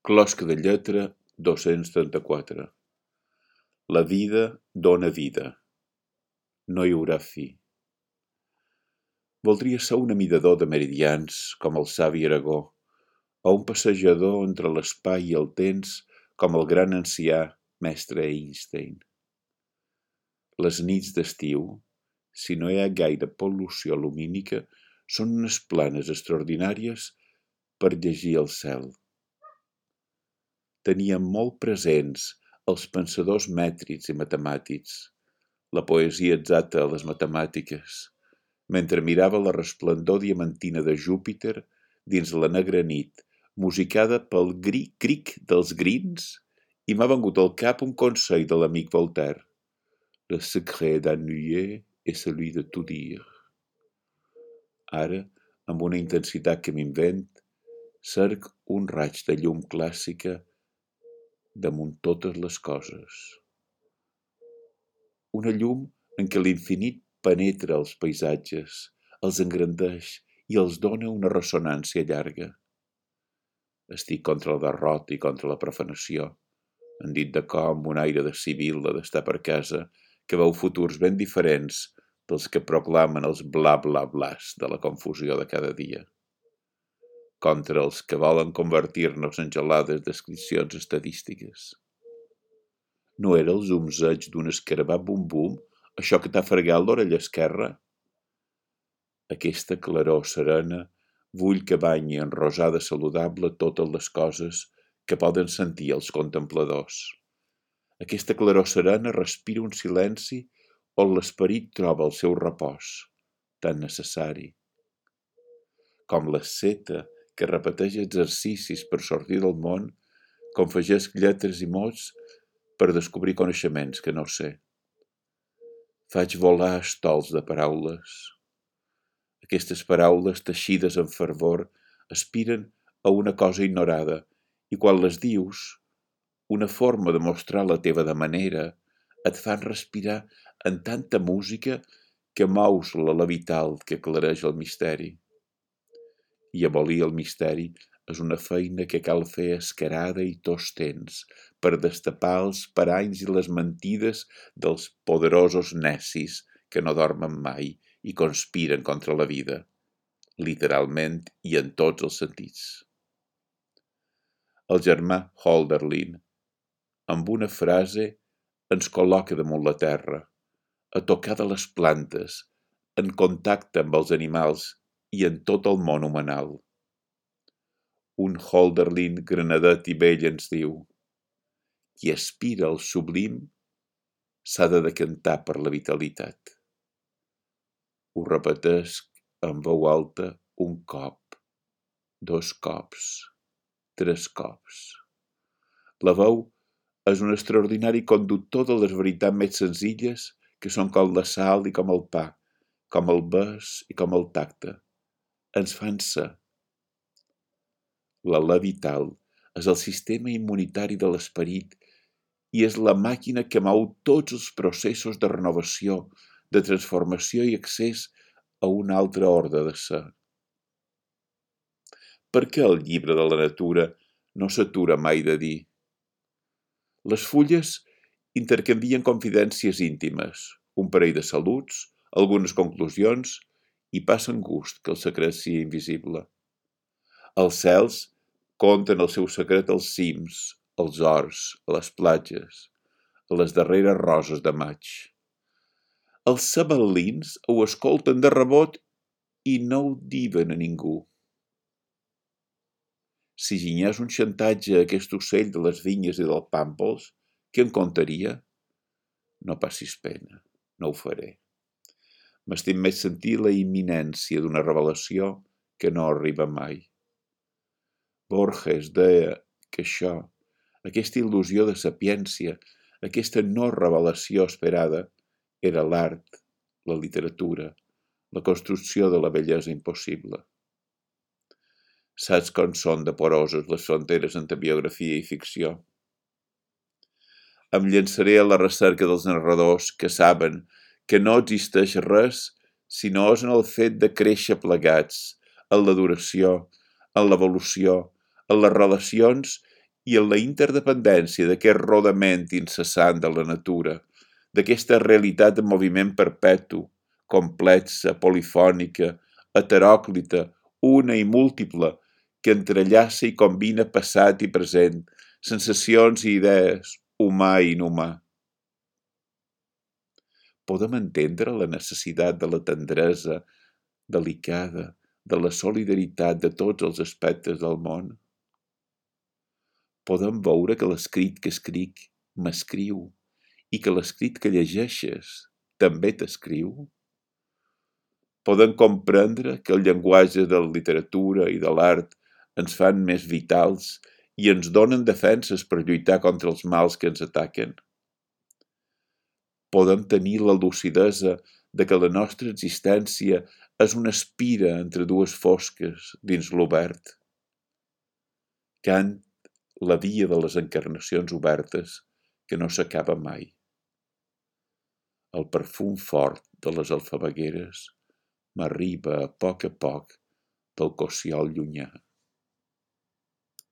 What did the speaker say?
Closca de lletra 234. La vida dóna vida. No hi haurà fi. Voldria ser un amidador de meridians com el savi Aragó, o un passejador entre l'espai i el temps com el gran ancià mestre Einstein. Les nits d'estiu, si no hi ha gaire pol·lució lumínica, són unes planes extraordinàries per llegir el cel. Tenia molt presents els pensadors mètrics i matemàtics, la poesia exacta a les matemàtiques, mentre mirava la resplendor diamantina de Júpiter dins la negra nit, musicada pel cric dels grins, i m'ha vengut al cap un consell de l'amic Voltaire. Le secret d'ennuyer est celui de tout dire. Ara, amb una intensitat que m'invent, cerc un raig de llum clàssica damunt totes les coses. Una llum en què l'infinit penetra els paisatges, els engrandeix i els dona una ressonància llarga. Estic contra la derrota i contra la profanació, en dit de cor amb un aire de sibil·la d'estar per casa que veu futurs ben diferents dels que proclamen els bla bla blas de la confusió de cada dia. Contra els que volen convertir-nos en gelades descripcions estadístiques. No era el zumzeig d'un escarabat bum-bum, això que t'ha fregat l'orella esquerra? Aquesta claror serena vull que banyi en rosada saludable totes les coses que poden sentir els contempladors. Aquesta claror serena respira un silenci on l'esperit troba el seu repòs, tan necessari. Com l'asceta que repeteix exercicis per sortir del món, confegesc lletres i mots per descobrir coneixements que no sé. Faig volar estols de paraules. Aquestes paraules teixides amb fervor aspiren a una cosa ignorada i quan les dius, una forma de mostrar la teva de manera, et fan respirar en tanta música que mous l'ala vital que aclareix el misteri. I abolir el misteri és una feina que cal fer escarada i tots temps per destapar els paranys i les mentides dels poderosos necis que no dormen mai i conspiren contra la vida, literalment i en tots els sentits. El germà Hölderlin, amb una frase, ens col·loca damunt la terra, a tocar de les plantes, en contacte amb els animals i en tot el món humanal. Un Hölderlin granadet i vell ens diu: qui aspira al sublim s'ha de decantar per la vitalitat. Ho repetesc en veu alta un cop, 2 cops, 3 cops. La veu és un extraordinari conductor de les veritats més senzilles que són com la sal i com el pa, com el bes i com el tacte. Ens fan ser. L'alè vital és el sistema immunitari de l'esperit i és la màquina que mou tots els processos de renovació, de transformació i accés a un altre ordre de ser. Per què el llibre de la natura no s'atura mai de dir? Les fulles intercanvien confidències íntimes, un parell de saluts, algunes conclusions i passen gust que el secret sigui invisible. Els cels conten el seu secret als cims, als horts, a les platges, a les darreres roses de maig. Els sabel·lins ho escolten de rebot i no ho diuen a ningú. Si ginyés un xantatge a aquest ocell de les vinyes i del pàmpols, què en contaria? No passis pena, no ho faré. M'estim més sentir la imminència d'una revelació que no arriba mai. Borges deia que això, aquesta il·lusió de sapiència, aquesta no revelació esperada, era l'art, la literatura, la construcció de la bellesa impossible. Saps com són de poroses les fronteres entre biografia i ficció? Em llançaré a la recerca dels narradors que saben que no existeix res si no és en el fet de créixer plegats, en l'adoració, en l'evolució, en les relacions i en la interdependència d'aquest rodament incessant de la natura, d'aquesta realitat en moviment perpetu, complexa, polifònica, heteròclita, una i múltiple, que entrellaça i combina passat i present, sensacions i idees, humà i inhumà. Podem entendre la necessitat de la tendresa delicada, de la solidaritat de tots els aspectes del món? Podem veure que l'escrit que escric m'escriu i que l'escrit que llegeixes també t'escriu? Podem comprendre que el llenguatge de la literatura i de l'art ens fan més vitals i ens donen defenses per lluitar contra els mals que ens ataquen? Podem tenir la lucidesa de que la nostra existència és una espira entre dues fosques dins l'obert. Kant, la via de les encarnacions obertes que no s'acaba mai. El perfum fort de les alfabegueres m'arriba a poc del cossiol llunyà.